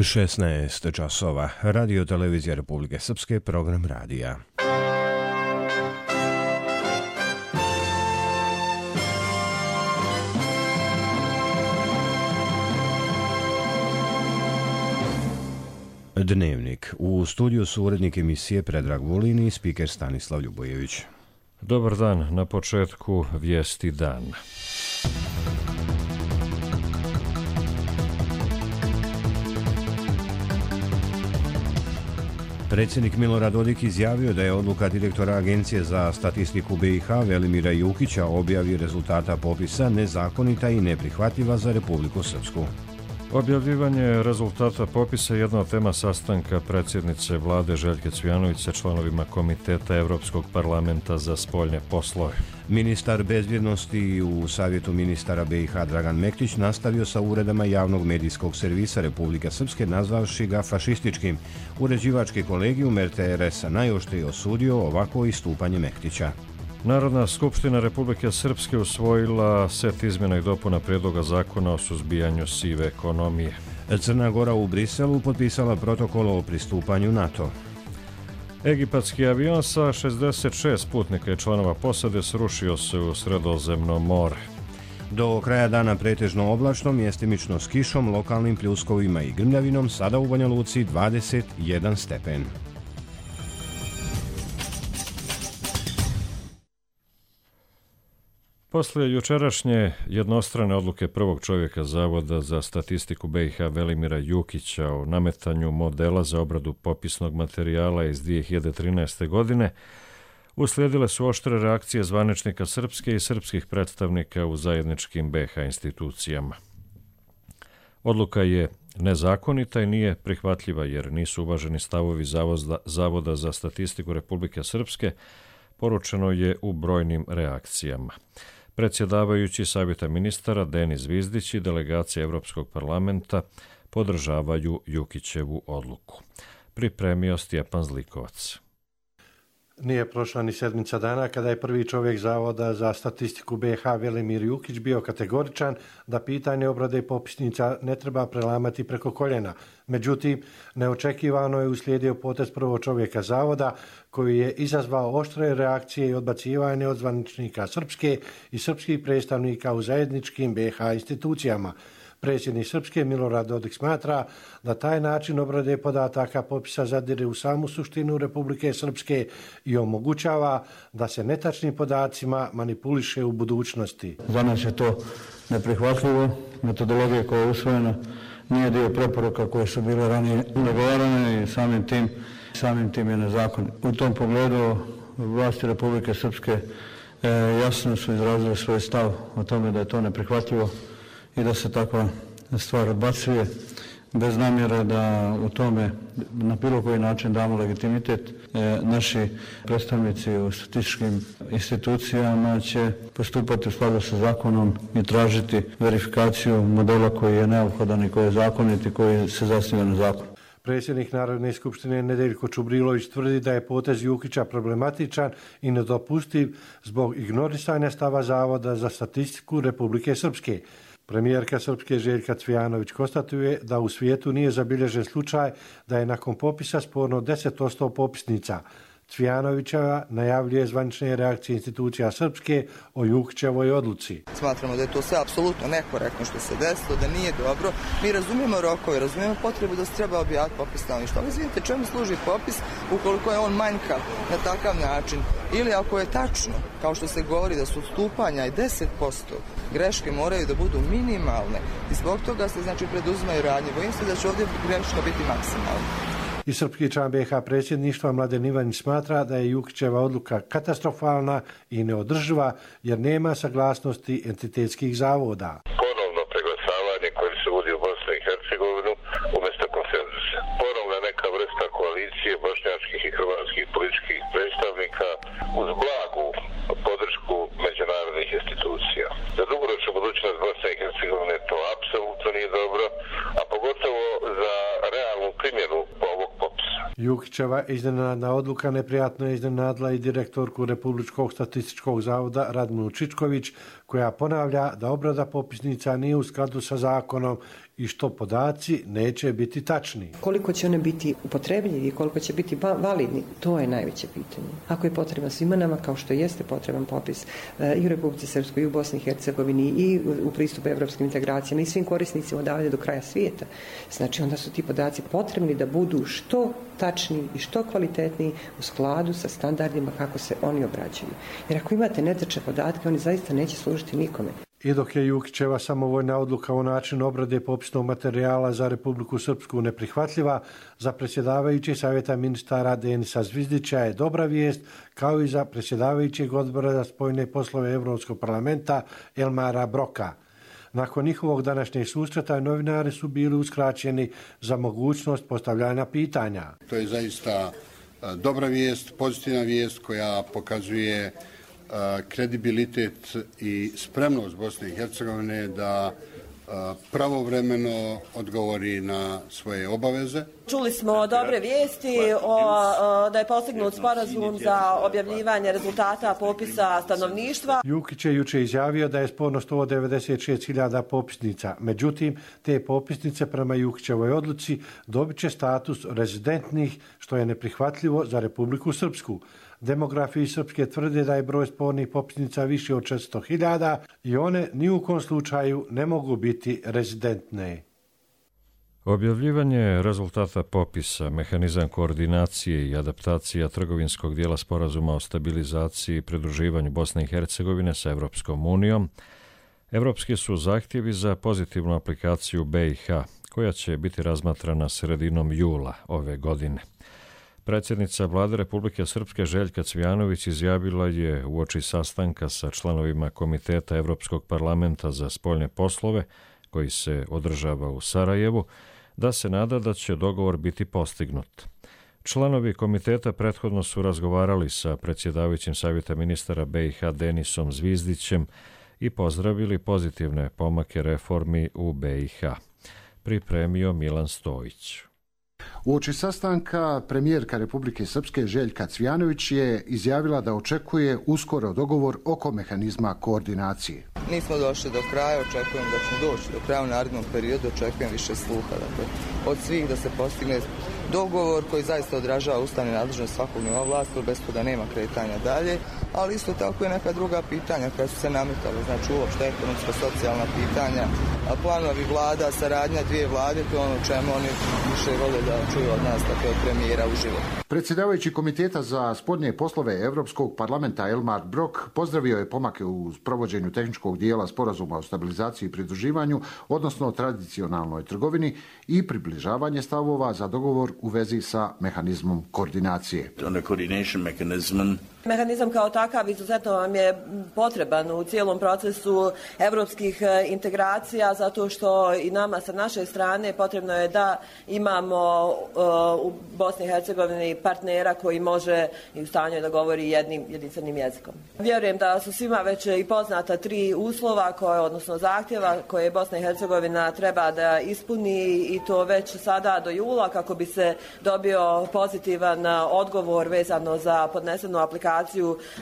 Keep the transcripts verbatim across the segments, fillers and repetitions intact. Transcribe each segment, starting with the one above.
šesnaest časova. Radio Televizija Republike Srpske, program radija. Dnevnik. U studiju su urednik emisije Predrag Vulin i spiker Stanislav Ljubojević. Dobar dan, na početku vijesti dan. Predsjednik Milorad Dodik izjavio da je odluka direktora Agencije za statistiku B i H Velimira Jukića o objavi rezultata popisa nezakonita i neprihvatljiva za Republiku Srpsku. Objavljivanje rezultata popisa je jedna od tema sastanka predsjednice vlade Željke Cvijanović sa članovima Komiteta Evropskog parlamenta za spoljne poslove. Ministar bezbjednosti u Savjetu ministara B i H Dragan Mektić nastavio sa uredama javnog medijskog servisa Republike Srpske, nazvavši ga fašističkim. Uređivački kolegijum R T R S-a najoštrije osudio ovako istupanje Mektića. Narodna skupština Republike Srpske usvojila set izmjena i dopuna prijedloga zakona o suzbijanju sive ekonomije. Crna Gora u Briselu potpisala protokol o pristupanju NATO. Egipatski avion sa šezdeset šest putnika i članova posade srušio se u Sredozemno more. Do kraja dana pretežno oblačno, mjestimično s kišom, lokalnim pljuskovima i grmljavinom, sada u Banja Luci dvadeset jedan stepen. Poslije jučerašnje jednostrane odluke prvog čovjeka Zavoda za statistiku B i H Velimira Jukića o nametanju modela za obradu popisnog materijala iz dvije hiljade trinaeste. godine, uslijedile su oštre reakcije zvaničnika Srpske i srpskih predstavnika u zajedničkim B i H institucijama. Odluka je nezakonita i nije prihvatljiva jer nisu uvaženi stavovi Zavoda za statistiku Republike Srpske, poručeno je u brojnim reakcijama. Predsjedavajući Savjeta ministara Denis Zvizdić i delegacija Evropskog parlamenta podržavaju Jukićevu odluku. Pripremio Stjepan Zlikovac. Nije prošla ni sedmica dana kada je prvi čovjek Zavoda za statistiku B i H Velimir Jukić bio kategoričan da pitanje obrade popisnica ne treba prelamati preko koljena. Međutim, neočekivano je uslijedio potez prvog čovjeka Zavoda koji je izazvao oštre reakcije i odbacivanje od zvaničnika Srpske i srpskih predstavnika u zajedničkim B i H institucijama. Predsjednik Srpske Milorad Dodik smatra da taj način obrade podataka popisa zadire u samu suštinu Republike Srpske i omogućava da se netačnim podacima manipuliše u budućnosti. Za nas je to neprihvatljivo. Metodologija koja je usvojena nije dio preporuka koje su bile ranije dogovorene i samim tim, samim tim je nezakonit. U tom pogledu vlasti Republike Srpske e, jasno su izrazili svoj stav o tome da je to neprihvatljivo i da se takva stvar odbacuje bez namjere da u tome na bilo koji način damo legitimitet. E, naši predstavnici u statističkim institucijama će postupati u skladu sa zakonom i tražiti verifikaciju modela koji je neophodan i koji je zakonit i koji se zasniva na zakonu. Predsjednik Narodne skupštine Nedeljko Čubrilović tvrdi da je potez Jukića problematičan i nedopustiv zbog ignorisanja stava Zavoda za statistiku Republike Srpske. Premijerka Srpske Željka Cvijanović konstatuje da u svijetu nije zabilježen slučaj da je nakon popisa sporno deset posto popisnica. Cvijanovićeva najavljuje zvanične reakcije institucija Srpske o Jukićevoj odluci. Smatramo da je to sve apsolutno nekorektno što se desilo, da nije dobro. Mi razumijemo rokove, razumijemo potrebu da se treba objaviti popis stanovništva. Ali izvinite, čemu služi popis ukoliko je on manjkav na takav način? Ili ako je tačno, kao što se govori da su odstupanja i deset posto, greške moraju da budu minimalne i zbog toga se znači preduzimaju radnje. Bojim se da će ovdje greška biti maksimalna. I srpski član B i H predsjedništva Mladen Ivanić smatra da je Jukićeva odluka katastrofalna i neodrživa jer nema saglasnosti entitetskih zavoda. Ponovno preglasavanje koje se uvodi u Bosnu i Hercegovinu umjesto konsenzusa. Ponovna neka vrsta koalicije bošnjačkih i hrvatskih političkih predstavnika uz blagu podršku međunarodnih institucija. Za dugoročnu budućnost Bosne i Hercegovine to apsolutno nije dobro, a pogotovo za realnu primjenu ovog popisa. Jukićeva iznenadna odluka neprijatno je iznenadila i direktorku Republičkog statističkog zavoda Radminu Čičković, koja ponavlja da obrada popisnica nije u skladu sa zakonom i što podaci neće biti tačni. Koliko će one biti upotrebljivi i koliko će biti validni, to je najveće pitanje. Ako je potreban svima nama, kao što jeste potreban popis i u Republici Srpskoj, i u Bosni i Hercegovini, i u pristupu evropskim integracijama, i svim korisnicima odavde do kraja svijeta, znači onda su ti podaci potrebni da budu što tačniji i što kvalitetniji u skladu sa standardima kako se oni obrađuju. Jer ako imate netačne podatke, oni zaista neće služiti nikome. I dok je Jukićeva samovoljna odluka o načinu obrade popisnog materijala za Republiku Srpsku neprihvatljiva, za predsjedavajući savjeta ministara Denisa Zvizdića je dobra vijest, kao i za predsjedavajućeg odbora za spoljne poslove Evropskog parlamenta Elmara Broka. Nakon njihovog današnjeg susreta novinari su bili uskraćeni za mogućnost postavljanja pitanja. To je zaista dobra vijest, pozitivna vijest koja pokazuje kredibilitet i spremnost Bosne i Hercegovine da pravovremeno odgovori na svoje obaveze. Čuli smo dobre vijesti o, da je postignut sporazum za objavljivanje rezultata popisa stanovništva. Jukić je juče izjavio da je sporno sto devedeset šest hiljada popisnica. Međutim, te popisnice prema Jukićevoj odluci dobit će status rezidentnih, što je neprihvatljivo za Republiku Srpsku. Demografi Srpske tvrde da je broj spornih popisnica više od četiristo hiljada i one ni u kom slučaju ne mogu biti rezidentne. Objavljivanje rezultata popisa, mehanizam koordinacije i adaptacija trgovinskog dijela sporazuma o stabilizaciji i pridruživanju Bosne i Hercegovine sa Evropskom unijom, evropski su zahtjevi za pozitivnu aplikaciju B i H, koja će biti razmatrana sredinom jula ove godine. Predsjednica Vlade Republike Srpske Željka Cvijanović izjavila je uoči sastanka sa članovima Komiteta Evropskog parlamenta za spoljne poslove, koji se održava u Sarajevu, da se nada da će dogovor biti postignut. Članovi komiteta prethodno su razgovarali sa predsjedavajućim savjeta ministara B i H Denisom Zvizdićem i pozdravili pozitivne pomake reformi u B i H. Pripremio Milan Stojić. Uoči sastanka premijerka Republike Srpske Željka Cvijanović je izjavila da očekuje uskoro dogovor oko mehanizma koordinacije. Nismo došli do kraja, očekujem da ćemo doći do kraja u narednom periodu, očekujem više sluha. Dakle, od svih da se postigne dogovor koji zaista odražava ustavne nadležnosti svakog nivoa vlasti, bez toga nema kretanja dalje, ali isto tako i neka druga pitanja koja su se nametala, znači uopšte ekonomska, socijalna pitanja, a planovi vlada, saradnja dvije vlade, to je ono čemu oni više vole da čuju od nas, tako je premijera uživo. Predsjedavajući Komiteta za spoljne poslove Evropskog parlamenta Elmar Brok pozdravio je pomake u provođenju tehničkog dijela sporazuma o stabilizaciji i pridruživanju, odnosno tradicionalnoj trgovini i približavanje stavova za dogovor u vezi sa mehanizmom koordinacije. Mehanizam kao takav izuzetno vam je potreban u cijelom procesu evropskih integracija, zato što i nama sa naše strane potrebno je da imamo uh, u Bosni i Hercegovini partnera koji može i u stanju da govori jednim jedinstvenim jezikom. Vjerujem da su svima već i poznata tri uslova, koje, odnosno zahtjeva koje Bosna i Hercegovina treba da ispuni i to već sada do jula kako bi se dobio pozitivan odgovor vezano za podnesenu aplikaciju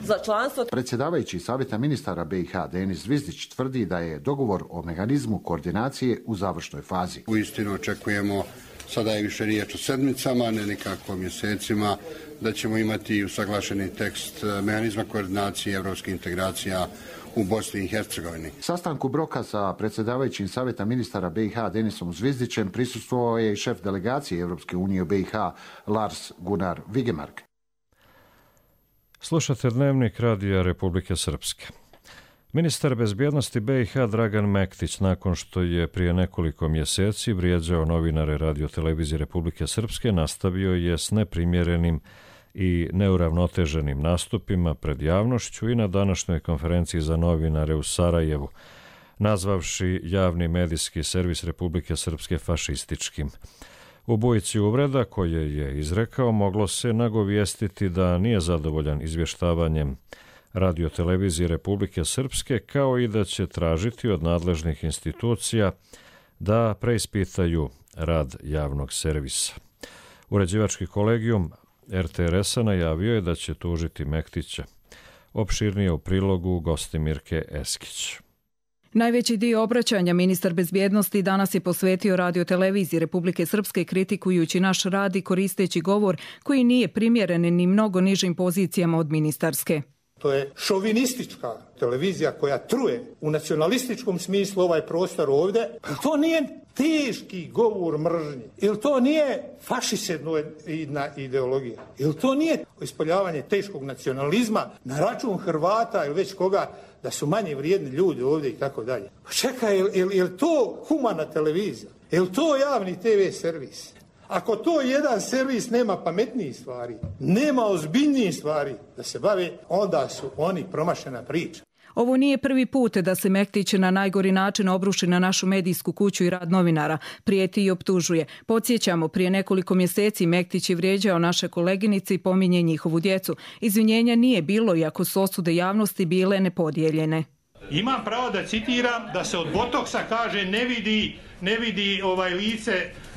za članstvo. Predsjedavajući savjeta ministara B i H Denis Zvizdić tvrdi da je dogovor o mehanizmu koordinacije u završnoj fazi. Uistinu očekujemo, sada je više riječ o sedmicama, ne nekako mjesecima, da ćemo imati usaglašeni tekst mehanizma koordinacije evropskih integracija u Bosni i Hercegovini. Sastanku Broka sa predsjedavajućim savjeta ministara B i H Denisom Zvizdićem prisustvovao je i šef delegacije Evropske unije u B i H Lars Gunnar Vigemark. Slušate dnevnik Radija Republike Srpske. Ministar bezbjednosti B i H Dragan Mektić, nakon što je prije nekoliko mjeseci vrijeđao novinare Radio-televizije Republike Srpske, nastavio je s neprimjerenim i neuravnoteženim nastupima pred javnošću i na današnjoj konferenciji za novinare u Sarajevu, nazvavši javni medijski servis Republike Srpske fašističkim. U bujici uvreda koje je izrekao moglo se nagovijestiti da nije zadovoljan izvještavanjem Radio-televizije Republike Srpske, kao i da će tražiti od nadležnih institucija da preispitaju rad javnog servisa. Uređivački kolegijum er te er es-a najavio je da će tužiti Mektića. Opširnije u prilogu Gostimirke Eskić. Najveći dio obraćanja ministar bezbjednosti danas je posvetio radioteleviziji Republike Srpske kritikujući naš rad i koristeći govor koji nije primjeren ni mnogo nižim pozicijama od ministarske. To je šovinistička televizija koja truje u nacionalističkom smislu ovaj prostor ovdje. To nije teški govor mržnje. Ili to nije fašisedna ideologija. Ili to nije ispoljavanje teškog nacionalizma na račun Hrvata ili već koga da su manje vrijedni ljudi ovdje i tako dalje. Pa čekaj, je, je, je li to humana televizija? Je li to javni te ve servis? Ako to jedan servis nema pametnijih stvari, nema ozbiljnijih stvari da se bave, onda su oni promašena priča. Ovo nije prvi put da se Mektić na najgori način obruši na našu medijsku kuću i rad novinara, prijeti i optužuje. Podsjećamo, prije nekoliko mjeseci Mektić je vrijeđao naše koleginice i pominje njihovu djecu. Izvinjenja nije bilo, iako su osude javnosti bile nepodijeljene. Imam pravo da citiram da se od botoksa kaže ne vidi, ne vidi ovaj lice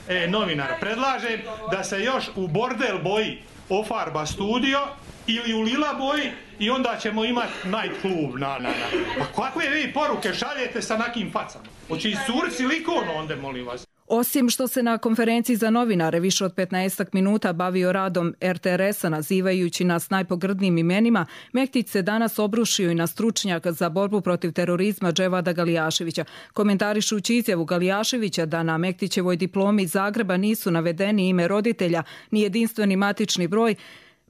e, novinara. Predlažem da se još u bordel boji ofarba studio ili u lila boji i onda ćemo imati night klub. Na, na, na. Pa kakve vi poruke šaljete sa nakim facama? Hoće iscuri silikon onda, molim vas. Osim što se na konferenciji za novinare više od petnaest minuta bavio radom er te er es-a nazivajući nas najpogrdnijim imenima, Mektić se danas obrušio i na stručnjaka za borbu protiv terorizma Dževada Galijaševića. Komentarišući izjavu Galijaševića da na Mektićevoj diplomi iz Zagreba nisu navedeni ime roditelja ni jedinstveni matični broj,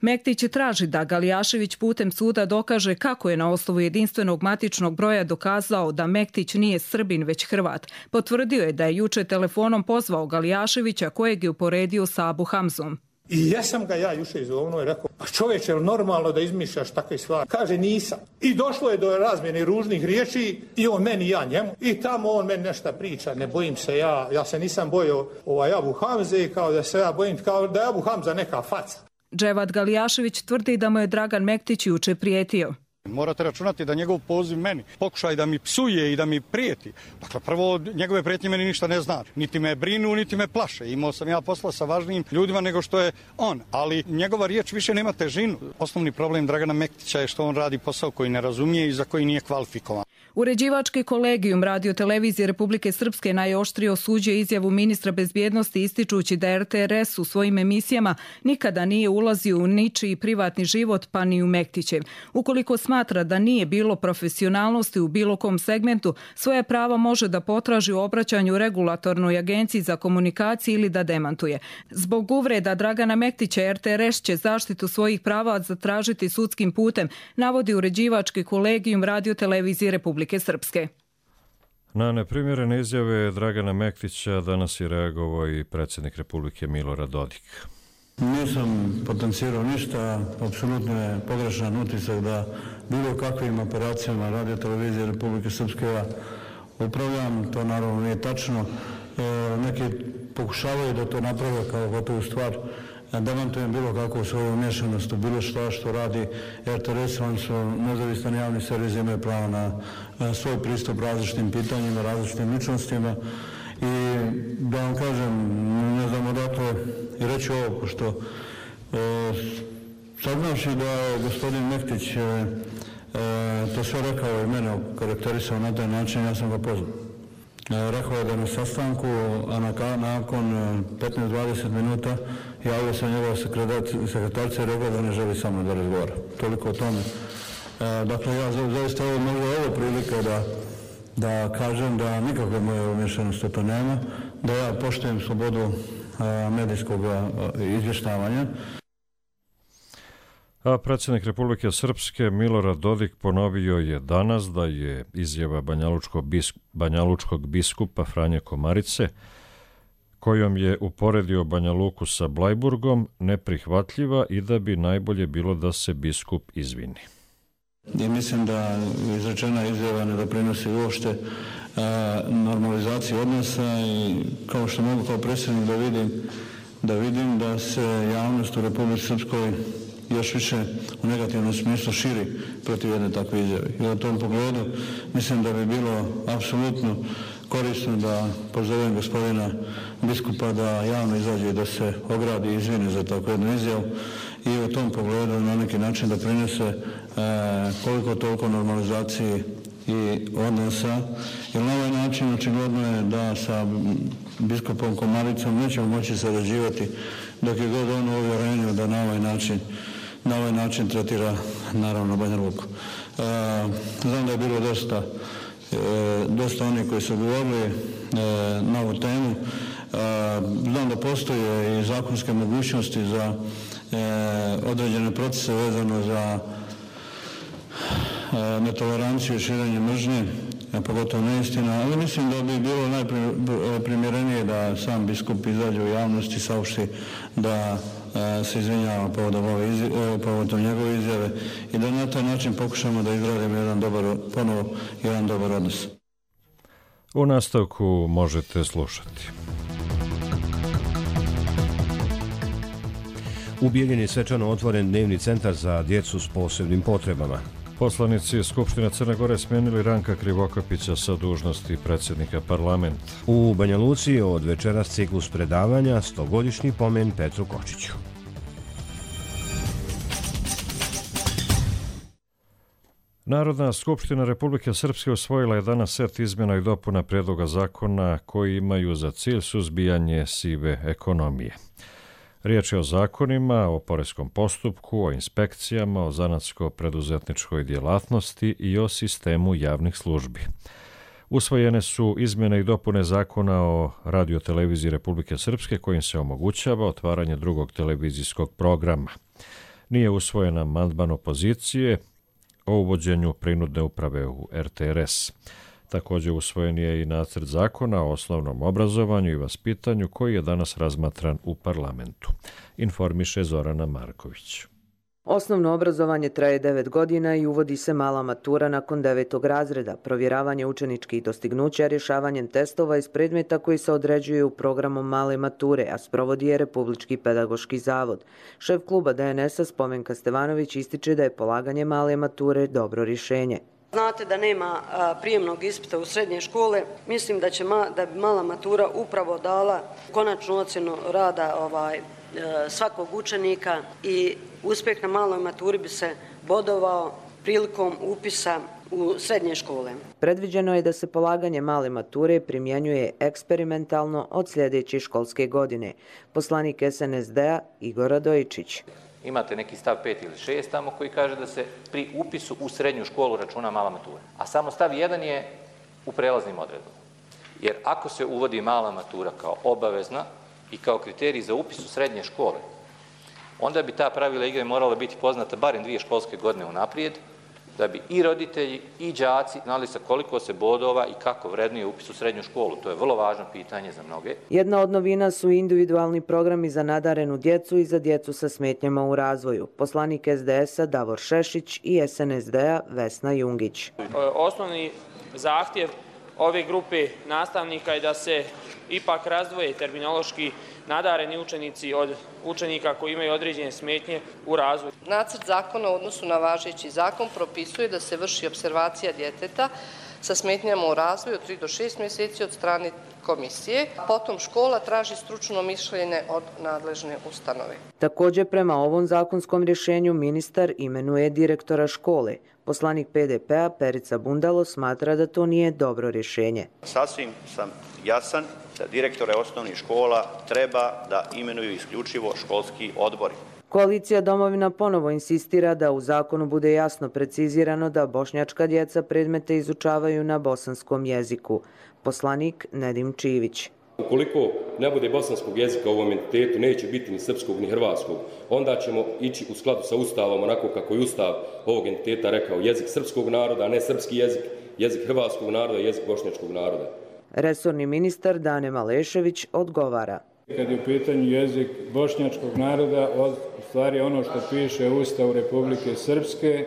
Mektić traži da Galijašević putem suda dokaže kako je na osnovu jedinstvenog matičnog broja dokazao da Mektić nije Srbin već Hrvat. Potvrdio je da je juče telefonom pozvao Galijaševića kojeg je uporedio sa Abu Hamzom. I ja sam ga ja juče izvovno i rekao, pa čovječe, je li normalno da izmišljaš takve stvari? Kaže, nisam. I došlo je do razmjene ružnih riječi i on meni, ja njemu. I tamo on meni nešto priča, ne bojim se ja, ja se nisam bojio ovaj Abu Hamze, kao da se ja bojim, kao da je Abu Hamza neka faca. Dževad Galijašević tvrdi da mu je Dragan Mektić juče prijetio. Morate računati da njegov poziv meni, pokušaj da mi psuje i da mi prijeti. Dakle, prvo, njegove prijetnje meni ništa ne znači. Niti me brinu, niti me plaše. Imao sam ja posla sa važnijim ljudima nego što je on. Ali njegova riječ više nema težinu. Osnovni problem Dragana Mektića je što on radi posao koji ne razumije i za koji nije kvalifikovan. Uređivački kolegijum radiotelevizije Republike Srpske najoštrije osuđuje izjavu ministra bezbjednosti ističući da er te er es u svojim emisijama nikada nije ulazio u ničiji privatni život pa ni u Mektićev. Ukoliko smatra da nije bilo profesionalnosti u bilo kom segmentu, svoje prava može da potraži u obraćanju regulatornoj agenciji za komunikaciju ili da demantuje. Zbog uvreda Dragana Mektića er te er es će zaštitu svojih prava zatražiti sudskim putem, navodi uređivački kolegijum radiotelevizije Republike Srpske. Na neprimjerene izjave Dragana Mektića danas je reagovao i predsjednik Republike Milorad Dodik. Nisam potencirao ništa, apsolutno je pogrešan utisak da bilo kakvim operacijama radiotelevizije Republike Srpske ja upravljam, to naravno nije tačno. E, neki pokušavaju da to naprave kao gotovu stvar. Demantujem bilo kakvu svoju umješanost u bilo što što radi er te er es, oni su nezavistan javni servis, imaju pravo na, na svoj pristup različitim pitanjima, različitim ličnostima. I da vam kažem, ne znam odakle i reći ovo, pošto e, saznavši da je gospodin Mektić e, e, to sve rekao i mene karakterisao na taj način, ja sam ga pozvao. E, rekao je da na sastanku, a na, nakon petnaest do dvadeset minuta javio se njegova sekretarca i rekao da ne želi sa mnom da razgovara. Toliko o tome. E, dakle, ja zaista ovo možda ovo prilika da da kažem da nikakve moje umješanosti to nema, da ja poštujem slobodu a, medijskog izvještavanja. A predsjednik Republike Srpske Milorad Dodik ponovio je danas da je izjava banjalučkog, biskup, banjalučkog biskupa Franje Komarice, kojom je uporedio Banja Luku sa Blajburgom, neprihvatljiva i da bi najbolje bilo da se biskup izvini. I mislim da izrečena izjava ne doprinosi uopšte normalizaciji odnosa i kao što mogu kao predsjednik da vidim, da vidim da se javnost u Republici Srpskoj još više u negativnom smislu širi protiv jedne takve izjave. I u tom pogledu mislim da bi bilo apsolutno korisno da pozovem gospodina biskupa da javno izađe i da se ogradi i izvine za takvu jednu izjavu i u tom pogledu na neki način da prinese e, koliko toliko normalizaciji i odnosa, jer na ovaj način očigledno je da sa biskupom Komaricom nećemo moći sarađivati dok je god on u uvjerenju da na ovaj način na ovaj način tretira naravno Banja Luku. E, znam da je bilo dosta e, dosta onih koji su govorili e, na ovu temu. E, znam da postoje i zakonske mogućnosti za e, određene procese vezano za e, netoleranciju i širenje mržnje, pogotovo neistina, ali mislim da bi bilo najprimjerenije da sam biskup izađe u javnosti, saopšti da se izvinjava povodom, ove izjave, povodom njegove izjave i da na taj način pokušamo da izgradimo jedan dobar, ponovo jedan dobar odnos. U nastavku možete slušati. U Bijeljini svečano otvoren dnevni centar za djecu s posebnim potrebama. Poslanici Skupštine Crne Gore smijenili Ranka Krivokapića sa dužnosti predsjednika parlamenta. U Banja Luci od večeras ciklus predavanja stogodišnji pomen Petru Kočiću. Narodna skupština Republike Srpske usvojila je danas set izmjena i dopuna prijedloga zakona koji imaju za cilj suzbijanje sive ekonomije. Riječ je o zakonima, o poreskom postupku, o inspekcijama, o zanatsko-preduzetničkoj djelatnosti i o sistemu javnih službi. Usvojene su izmjene i dopune zakona o radioteleviziji Republike Srpske kojim se omogućava otvaranje drugog televizijskog programa. Nije usvojen amandman opozicije o uvođenju prinudne uprave u R T R S. Također usvojen je i nacrt zakona o osnovnom obrazovanju i vaspitanju koji je danas razmatran u parlamentu. Informiše Zorana Marković. Osnovno obrazovanje traje devet godina i uvodi se mala matura nakon devetog razreda, provjeravanje učeničkih dostignuća rješavanjem testova iz predmeta koji se određuju programom male mature, a sprovodi je Republički pedagoški zavod. Šef kluba D N S-a Spomenka Stevanović ističe da je polaganje male mature dobro rješenje. Znate da nema prijemnog ispita u srednje škole. Mislim da će ma, da bi mala matura upravo dala konačnu ocjenu rada ovaj, svakog učenika i uspjeh na maloj maturi bi se bodovao prilikom upisa u srednje škole. Predviđeno je da se polaganje male mature primjenjuje eksperimentalno od sljedeće školske godine. Poslanik S N S D-a Igor Radojičić. Imate neki stav pet ili šest tamo koji kaže da se pri upisu u srednju školu računa mala matura. A samo stav jedan je u prelaznim odredbama. Jer ako se uvodi mala matura kao obavezna i kao kriterij za upis u srednje škole, onda bi ta pravila igre morala biti poznata barem dvije školske godine unaprijed, da bi i roditelji i đaci znali sa koliko se bodova i kako vrednuje upis u srednju školu. To je vrlo važno pitanje za mnoge. Jedna od novina su individualni programi za nadarenu djecu i za djecu sa smetnjama u razvoju. Poslanik S D S-a Davor Šešić i S N S D-a Vesna Jungić. Osnovni zahtjev ove grupe nastavnika je da se ipak razdvoje terminološki nadareni učenici od učenika koji imaju određene smetnje u razvoju. Nacrt zakona u odnosu na važeći zakon propisuje da se vrši opservacija djeteta sa smetnjama u razvoju od tri do šest mjeseci od strane komisije. Potom škola traži stručno mišljenje od nadležne ustanove. Također prema ovom zakonskom rješenju ministar imenuje direktora škole. Poslanik P D P-a Perica Bundalo smatra da to nije dobro rješenje. Sasvim sam jasan da direktore osnovnih škola treba da imenuju isključivo školski odbori. Koalicija Domovina ponovo insistira da u zakonu bude jasno precizirano da bošnjačka djeca predmete izučavaju na bosanskom jeziku. Poslanik Nedim Čivić. Ukoliko ne bude bosanskog jezika u ovom entitetu, neće biti ni srpskog ni hrvatskog, onda ćemo ići u skladu sa ustavom, onako kako je ustav ovog entiteta rekao, jezik srpskog naroda, a ne srpski jezik, jezik hrvatskog naroda i jezik bošnjačkog naroda. Resorni ministar Dane Malešević odgovara. Kad je u pitanju jezik bošnjačkog naroda, u stvari ono što piše u Ustavu Republike Srpske,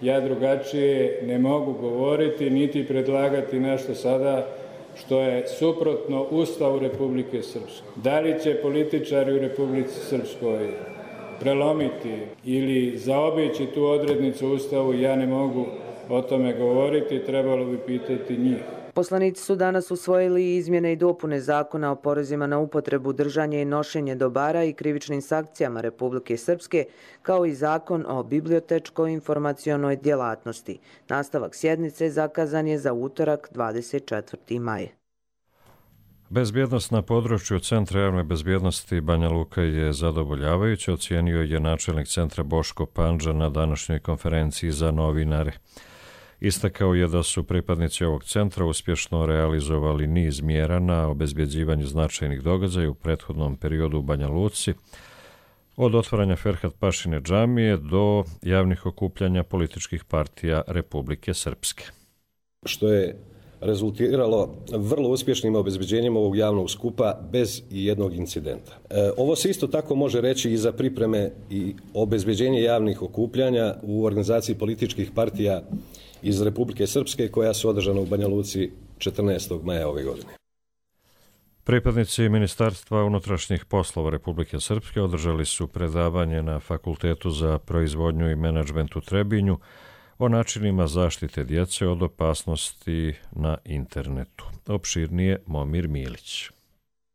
ja drugačije ne mogu govoriti niti predlagati nešto sada što je suprotno Ustavu Republike Srpske. Da li će političari u Republici Srpskoj prelomiti ili zaobići tu odrednicu u Ustavu, ja ne mogu o tome govoriti, trebalo bi pitati njih. Poslanici su danas usvojili izmjene i dopune zakona o porezima na upotrebu, držanje i nošenje dobara i krivičnim sankcijama Republike Srpske, kao i zakon o bibliotečko-informacionoj djelatnosti. Nastavak sjednice zakazan je za utorak dvadeset četvrti maj. Bezbjednost na području Centra javne bezbjednosti Banja Luka je zadovoljavajuća, ocijenio je načelnik centra Boško Pandža na današnjoj konferenciji za novinare. Istakao je da su pripadnici ovog centra uspješno realizovali niz mjera na obezbjeđivanju značajnih događaja u prethodnom periodu u Banja Luci, od otvaranja Ferhat Pašine džamije do javnih okupljanja političkih partija Republike Srpske. Što je rezultiralo vrlo uspješnim obezbeđenjem ovog javnog skupa bez jednog incidenta. E, ovo se isto tako može reći i za pripreme i obezbeđenje javnih okupljanja u organizaciji političkih partija iz Republike Srpske koja su održana u Banja Luci četrnaestog maja ove godine. Pripadnici Ministarstva unutrašnjih poslova Republike Srpske održali su predavanje na Fakultetu za proizvodnju i menadžment u Trebinju o načinima zaštite djece od opasnosti na internetu. Opširnije Momir Milić.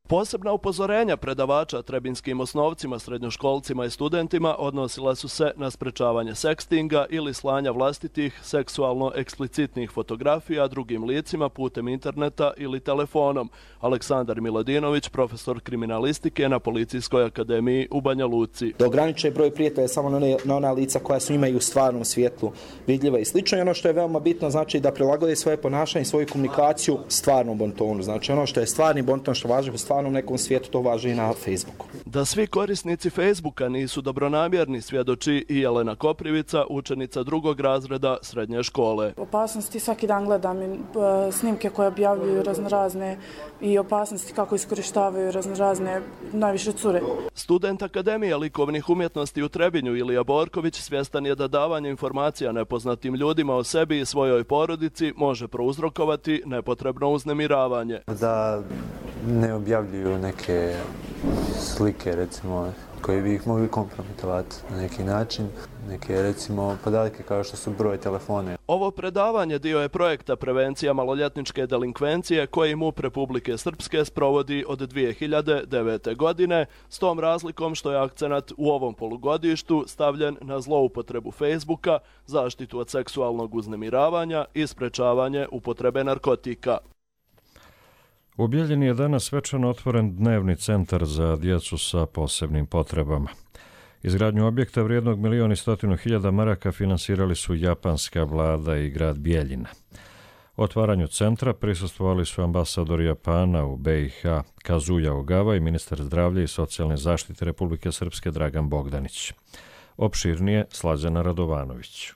Posebna upozorenja predavača trebinskim osnovcima, srednjoškolcima i studentima odnosila su se na sprečavanje sekstinga ili slanja vlastitih seksualno eksplicitnih fotografija drugim licima putem interneta ili telefonom. Aleksandar Miladinović, profesor kriminalistike na Policijskoj akademiji u Banja Luci. Da ograniče broj prijatelja samo na, one, na ona lica koja su imaju u stvarnom svijetlu vidljiva i slično. I ono što je veoma bitno, znači da prilagode svoje ponašanje i svoju komunikaciju stvarnom bontonu. Znači ono što je stvarni bonton, što važi u stvarnom nekom svijetu, to važi i na Facebooku. Da svi korisnici Facebooka nisu dobronamjerni, svjedoči i Jelena Koprivica, učenica drugog razreda srednje škole. Opasnosti svaki dan gledam i snimke koje objavljuju raznorazne i opasnosti kako iskorištavaju raznorazne, najviše cure. Student Akademije likovnih umjetnosti u Trebinju Ilija Borković svjestan je da davanje informacija nepoznatim ljudima o sebi i svojoj porodici može prouzrokovati nepotrebno uznemiravanje. Da ne objavljuju neke slike, recimo, koje bi ih mogli kompromitovati na neki način, neke, recimo, podatke kao što su broj telefone. Ovo predavanje dio je projekta prevencija maloljetničke delinkvencije koji MUP Republike Srpske sprovodi od dvije hiljade devete. godine, s tom razlikom što je akcenat u ovom polugodištu stavljen na zloupotrebu Facebooka, zaštitu od seksualnog uznemiravanja i sprečavanje upotrebe narkotika. U Bijeljini je danas svečano otvoren dnevni centar za djecu sa posebnim potrebama. Izgradnju objekta vrijednog milijon i stotinu hiljada maraka finansirali su japanska vlada i grad Bijeljina. Otvaranju centra prisustvovali su ambasador Japana u B i H Kazuya Ogawa i ministar zdravlja i socijalne zaštite Republike Srpske Dragan Bogdanić. Opširnije Slađana Radovanović.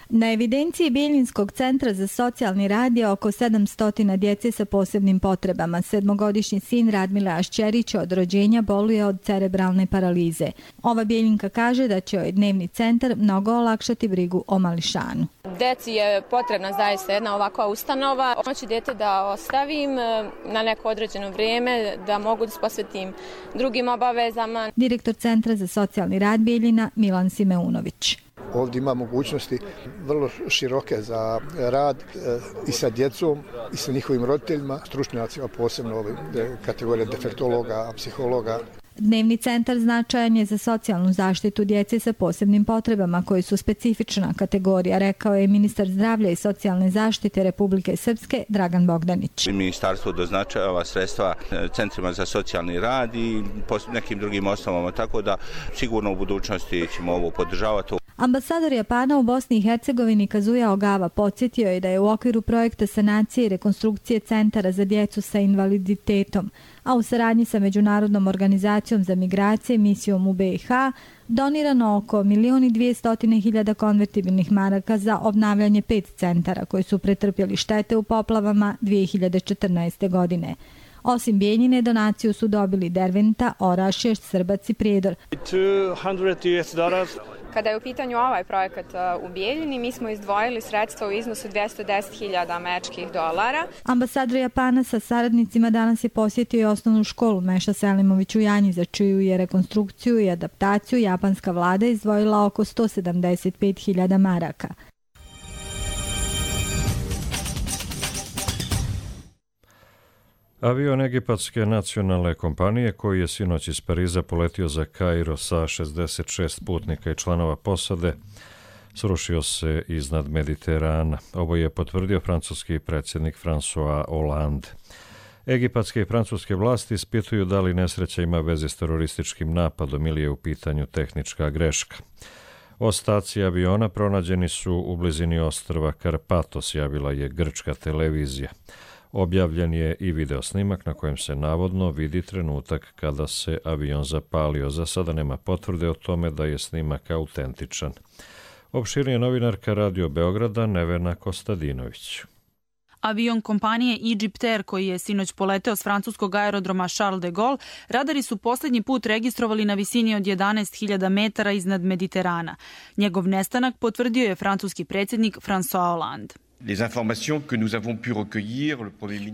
Na evidenciji Bijeljinskog centra za socijalni rad je oko sedamsto djece sa posebnim potrebama. Sedmogodišnji sin Radmila Ašćerić od rođenja boluje od cerebralne paralize. Ova Bijeljinka kaže da će joj dnevni centar mnogo olakšati brigu o mališanu. Deci je potrebna zaista jedna ovakva ustanova. Hoću dete da ostavim na neko određeno vrijeme, da mogu da se posvetim drugim obavezama. Direktor Centra za socijalni rad Bijeljina Milan Simeunović. Ovdje ima mogućnosti vrlo široke za rad i sa djecom i sa njihovim roditeljima, stručnjacima, posebno ove kategorije defektologa, psihologa. Dnevni centar značajan je za socijalnu zaštitu djece sa posebnim potrebama koji su specifična kategorija, rekao je ministar zdravlja i socijalne zaštite Republike Srpske Dragan Bogdanić. Ministarstvo doznačava sredstva centrima za socijalni rad i nekim drugim osnovama, tako da sigurno u budućnosti ćemo ovo podržavati. Ambasador Japana u Bosni i Hercegovini Kazuya Ogawa podsjetio je da je u okviru projekta sanacije i rekonstrukcije centara za djecu sa invaliditetom, a u saradnji sa Međunarodnom organizacijom za migracije misijom u B i H donirano oko milijon i dvjesto hiljada konvertibilnih maraka za obnavljanje pet centara koji su pretrpjeli štete u poplavama dvije hiljade četrnaeste. godine. Osim Bijeljine, donaciju su dobili Derventa, Orašje, Srbac i Prijedor. Kada je u pitanju ovaj projekat u Bijeljini, mi smo izdvojili sredstva u iznosu dvjesto deset hiljada američkih dolara. Ambasador Japana sa saradnicima danas je posjetio i osnovnu školu Meša Selimović u Janji, za čiju je rekonstrukciju i adaptaciju japanska vlada izdvojila oko sto sedamdeset pet hiljada maraka. Avion egipatske nacionalne kompanije koji je sinoć iz Pariza poletio za Kairo sa šezdeset šest putnika i članova posade srušio se iznad Mediterana. Ovo je potvrdio francuski predsjednik François Hollande. Egipatske i francuske vlasti ispituju da li nesreća ima veze s terorističkim napadom ili je u pitanju tehnička greška. Ostaci aviona pronađeni su u blizini ostrva Karpatos, javila je grčka televizija. Objavljen je i video snimak na kojem se navodno vidi trenutak kada se avion zapalio. Za sada nema potvrde o tome da je snimak autentičan. Opširnije novinarka Radio Beograda Nevena Kostadinović. Avion kompanije Egypt Air koji je sinoć poleteo s francuskog aerodroma Charles de Gaulle, radari su posljednji put registrovali na visini od jedanaest hiljada metara iznad Mediterana. Njegov nestanak potvrdio je francuski predsjednik François Hollande.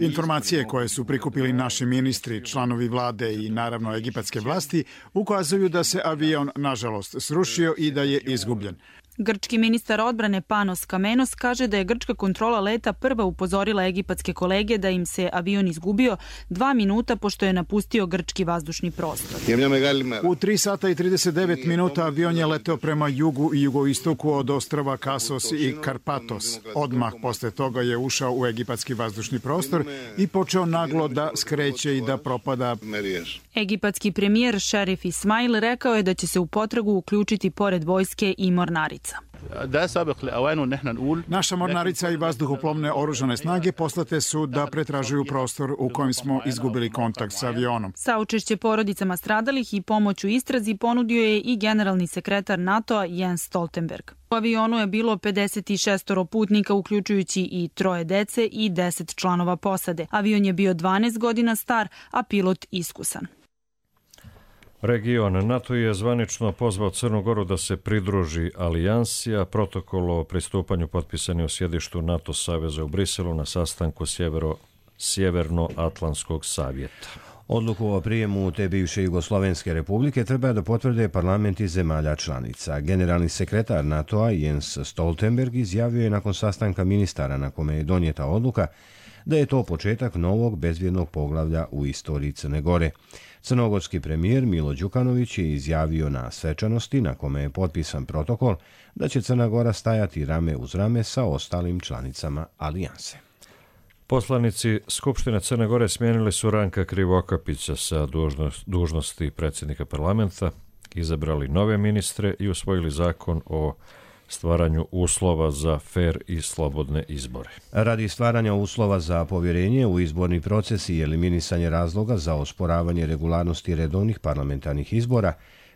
Informacije koje su prikupili naši ministri, članovi vlade i naravno egipatske vlasti ukazuju da se avion nažalost srušio i da je izgubljen. Grčki ministar odbrane Panos Kamenos kaže da je grčka kontrola leta prva upozorila egipatske kolege da im se avion izgubio dva minuta pošto je napustio grčki vazdušni prostor. U tri sata i trideset devet minuta avion je leteo prema jugu i jugoistoku od ostrava Kasos i Karpatos. Odmah posle toga je ušao u egipatski vazdušni prostor i počeo naglo da skreće i da propada. Egipatski premijer Šerif Ismail rekao je da će se u potragu uključiti pored vojske i mornarica. Naša mornarica i vazduhoplovne oružane snage poslate su da pretražuju prostor u kojem smo izgubili kontakt s avionom. Saučešće porodicama stradalih i pomoć u istrazi ponudio je i generalni sekretar NATO-a Jens Stoltenberg. U avionu je bilo pedeset šest putnika, uključujući i troje dece i deset članova posade. Avion je bio dvanaest godina star, a pilot iskusan. Region NATO je zvanično pozvao Crnu Goru da se pridruži alijansi, a protokol o pristupanju potpisan je u sjedištu NATO saveza u Briselu na sastanku sjevero, Sjeverno-Atlantskog savjeta. Odluku o prijemu te bivše Jugoslovenske republike treba da potvrde parlamenti zemalja članica. Generalni sekretar NATO-a Jens Stoltenberg izjavio je nakon sastanka ministara na kome je donijeta odluka da je to početak novog bezbjednog poglavlja u istoriji Crne Gore. Crnogorski premijer Milo Đukanović je izjavio na svečanosti na kome je potpisan protokol da će Crna Gora stajati rame uz rame sa ostalim članicama alijanse. Poslanici Skupštine Crne Gore smijenili su Ranka Krivokapića sa dužnosti predsjednika parlamenta, izabrali nove ministre i usvojili zakon o stvaranju uslova za fer i slobodne izbore. Radi stvaranja uslova za povjerenje u izborni proces i eliminisanje razloga za osporavanje regularnosti redovnih parlamentarnih izbora,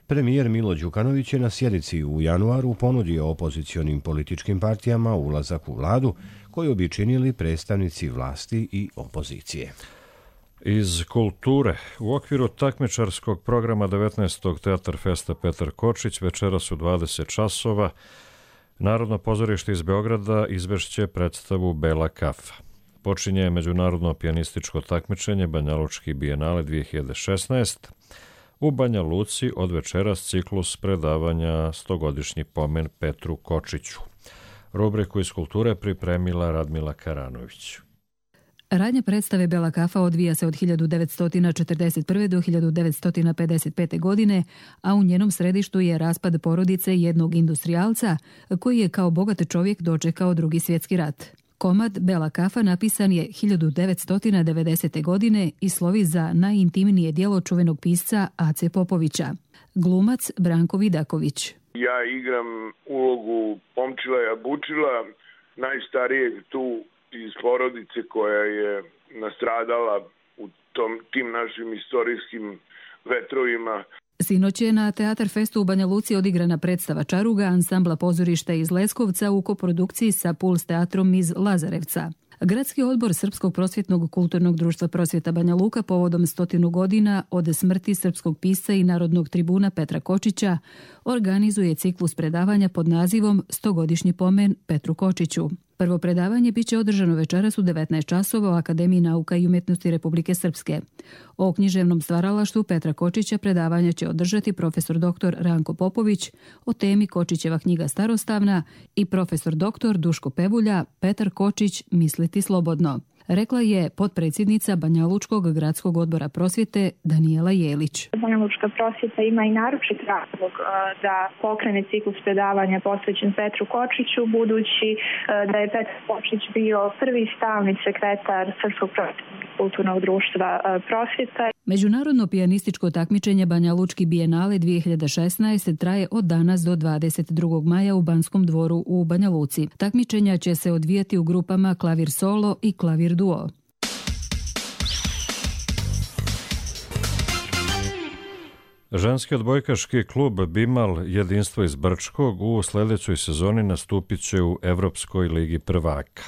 premijer Milo Đukanović je na sjednici u januaru ponudio opozicionim političkim partijama ulazak u vladu koju bi činili predstavnici vlasti i opozicije. Iz kulture, u okviru takmičarskog programa devetnaestog Teatar Festa Petar Kočić večeras u dvadeset časova Narodno pozorište iz Beograda izvešće predstavu Bela kafa. Počinje međunarodno pijanističko takmičenje Banjalučki bijenale dvije hiljade šesnaeste. U Banja Luci od večeras ciklus predavanja stogodišnji pomen Petru Kočiću. Rubriku iz kulture pripremila Radmila Karanović. Radnja predstave Bela kafa odvija se od hiljadu devetsto četrdeset prve. do hiljadu devetsto pedeset pete. godine, a u njenom središtu je raspad porodice jednog industrijalca koji je kao bogat čovjek dočekao Drugi svjetski rat. Komad Bela kafa napisan je hiljadu devetsto devedesete. godine i slovi za najintimnije djelo čuvenog pisca Ace Popovića. Glumac Branko Vidaković. Ja igram ulogu Pomčila Jabučila, najstarijeg tu iz porodice koja je nastradala u tom, tim našim istorijskim vetrovima. Sinoć je na Teatar Festu u Banja Luci odigrana predstava Čaruga ansambla pozorišta iz Leskovca u koprodukciji sa Puls teatrom iz Lazarevca. Gradski odbor Srpskog prosvjetnog kulturnog društva Prosvjeta Banja Luka povodom stotinu godina od smrti srpskog pisca i narodnog tribuna Petra Kočića organizuje ciklus predavanja pod nazivom stogodišnji pomen Petru Kočiću. Prvo predavanje biće održano večeras u devetnaest časova u Akademiji nauka i umjetnosti Republike Srpske. O književnom stvaralaštvu Petra Kočića predavanja će održati profesor doktor Ranko Popović, o temi Kočićeva knjiga Starostavna i profesor doktor Duško Pevulja Petar Kočić misliti slobodno, rekla je potpredsjednica Banjalučkog gradskog odbora prosvjete Danijela Jelić. Banjalučka prosvjeta ima i naročit razlog da pokrene ciklus predavanja posvećen Petru Kočiću, budući da je Petar Kočić bio prvi stalni sekretar Srpskog prosvjetnog kulturnog društva Prosvjeta. Međunarodno pijanističko takmičenje Banjalučki bijenale dvije hiljade šesnaeste traje od danas do dvadeset drugog maja u Banskom dvoru u Banja Luci. Takmičenja će se odvijati u grupama klavir solo i klavir duo. Ženski odbojkaški klub Bimal Jedinstvo iz Brčkog u sljedećoj sezoni nastupit će u Evropskoj ligi prvaka.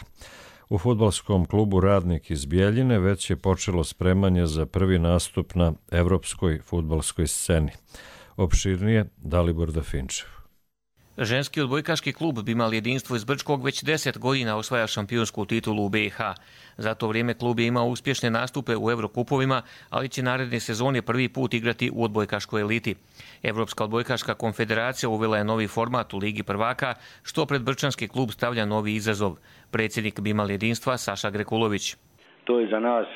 U fudbalskom klubu Radnik iz Bijeljine već je počelo spremanje za prvi nastup na evropskoj fudbalskoj sceni. Opširnije Dalibor Dafinčev. Ženski odbojkaški klub Bimal Jedinstvo iz Brčkog već deset godina osvaja šampionsku titulu u B i H. Za to vrijeme klub je imao uspješne nastupe u Evrokupovima, ali će naredne sezone prvi put igrati u odbojkaškoj eliti. Evropska odbojkaška konfederacija uvela je novi format u Ligi prvaka, što pred brčanski klub stavlja novi izazov. Predsjednik Bimal Jedinstva Saša Grekulović. To je za nas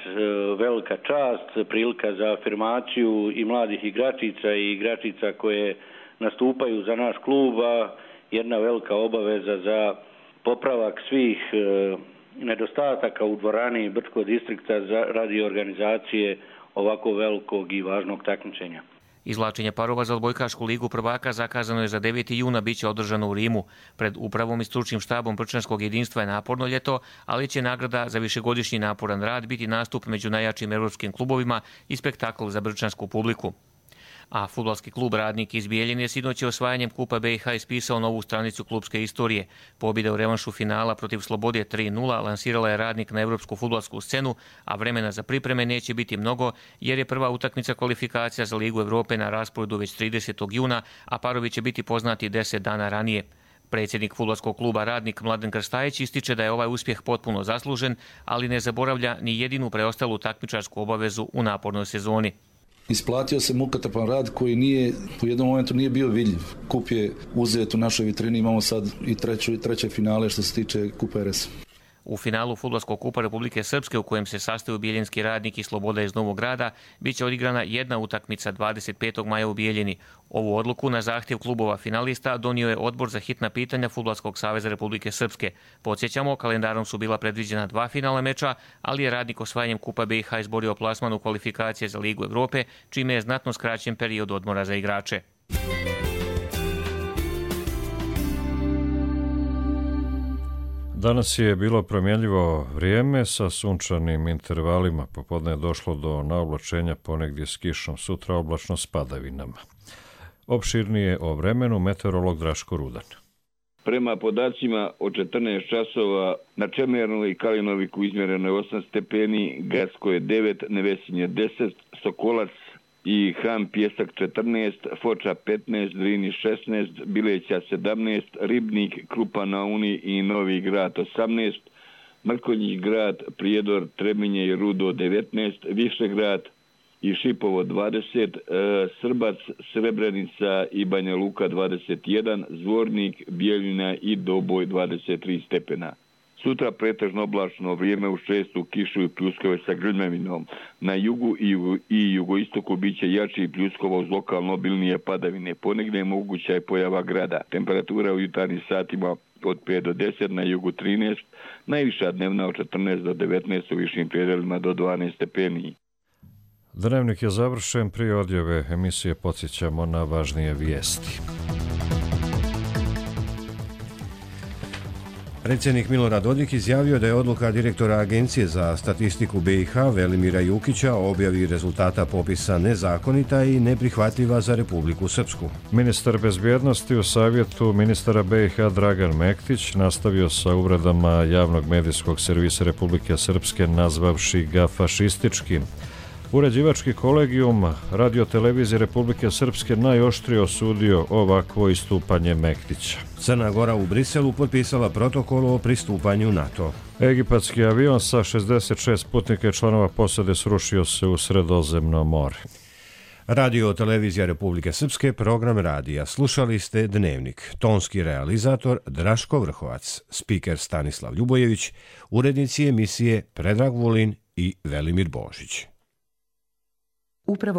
velika čast, prilika za afirmaciju i mladih igračica i igračica koje nastupaju za naš klub, a jedna velika obaveza za popravak svih e, nedostataka u dvorani Brčkog distrikta za radi organizacije ovako velikog i važnog takmičenja. Izvlačenje parova za odbojkašku ligu prvaka zakazano je za deveti juna, bit će održano u Rimu. Pred upravom i stručnim štabom Brčanskog jedinstva je naporno ljeto, ali će nagrada za višegodišnji naporan rad biti nastup među najjačim evropskim klubovima i spektakl za brčansku publiku. A fudbalski klub Radnik iz Bijeljine sinoć je osvajanjem Kupa B i H ispisao novu stranicu klubske istorije. Pobjeda u revanšu finala protiv Slobode tri nula lansirala je Radnik na evropsku fudbalsku scenu, a vremena za pripreme neće biti mnogo, jer je prva utakmica kvalifikacija za Ligu Evrope na rasporedu već tridesetog juna, a parovi će biti poznati deset dana ranije. Predsjednik fudbalskog kluba Radnik Mladen Krstajić ističe da je ovaj uspjeh potpuno zaslužen, ali ne zaboravlja ni jedinu preostalu takmičarsku obavezu u napornoj sezoni. Isplatio se mukotrpan rad koji nije, u jednom momentu nije bio vidljiv. Kup je uzet u našoj vitrini, imamo sad i treću, treće finale što se tiče Kupa R S. U finalu Fudbalskog kupa Republike Srpske, u kojem se sastaju Bijeljinski Radnik i Sloboda iz Novog Grada, bit će odigrana jedna utakmica dvadeset petog maja u Bijeljini. Ovu odluku na zahtjev klubova finalista donio je Odbor za hitna pitanja Fudbalskog saveza Republike Srpske. Podsjećamo, kalendarom su bila predviđena dva finalna meča, ali je Radnik osvajanjem Kupa B i H izborio plasman u kvalifikacije za Ligu Evrope, čime je znatno skraćen period odmora za igrače. Danas je bilo promjenljivo vrijeme sa sunčanim intervalima. Popodne je došlo do naoblačenja, ponegdje s kišom, sutra oblačno s padavinama. Opširnije o vremenu meteorolog Draško Rudan. Prema podacima od četrnaest časova na Čemernoj i Kalinoviku izmjereno je osam stepeni, Gatsko je devet, Nevesinje deset, Sokolac i Ham Pjesak četrnaest, Foča petnaest, Drini šesnaest, Bileća sedamnaest, Ribnik, Krupa na Uni i Novi Grad osamnaest, Mrkonjić Grad, Prijedor, Trebinje i Rudo devetnaest, Višegrad i Šipovo dvadeset, Srbac, Srebrenica i Banja Luka dvadeset jedan, Zvornik, Bijeljina i Doboj dvadeset tri stepena. Sutra pretežno oblačno vrijeme uz čestu kišu i pljuskove sa grmljavinom. Na jugu i, jugu, i jugoistoku bit će jači pljuskova uz lokalno obilnije padavine. Ponegdje je moguća je pojava grada. Temperatura u jutarnjim satima od pet do deset, na jugu trinaest, najviša dnevna od četrnaest do devetnaest, u višim predelima do dvanaest stepeni. Dnevnik je završen, prije odjave emisije podsjećamo na važnije vijesti. Predsjednik Milorad Dodik izjavio da je odluka direktora Agencije za statistiku B i H Velimira Jukića o objavi rezultata popisa nezakonita i neprihvatljiva za Republiku Srpsku. Ministar bezbjednosti u savjetu ministara B i H Dragan Mektić nastavio sa uvredama javnog medijskog servisa Republike Srpske nazvavši ga fašističkim. Uređivački kolegijum radiotelevizije Republike Srpske najoštrije osudio ovakvo istupanje Mektića. Crna Gora u Briselu potpisala protokol o pristupanju NATO. Egipatski avion sa šezdeset šest putnika i članova posade srušio se u Sredozemno more. Radio televizija Republike Srpske, program radija. Slušali ste Dnevnik. Tonski realizator Draško Vrhovac, spiker Stanislav Ljubojević, urednici emisije Predrag Vulin i Velimir Božić. Upravo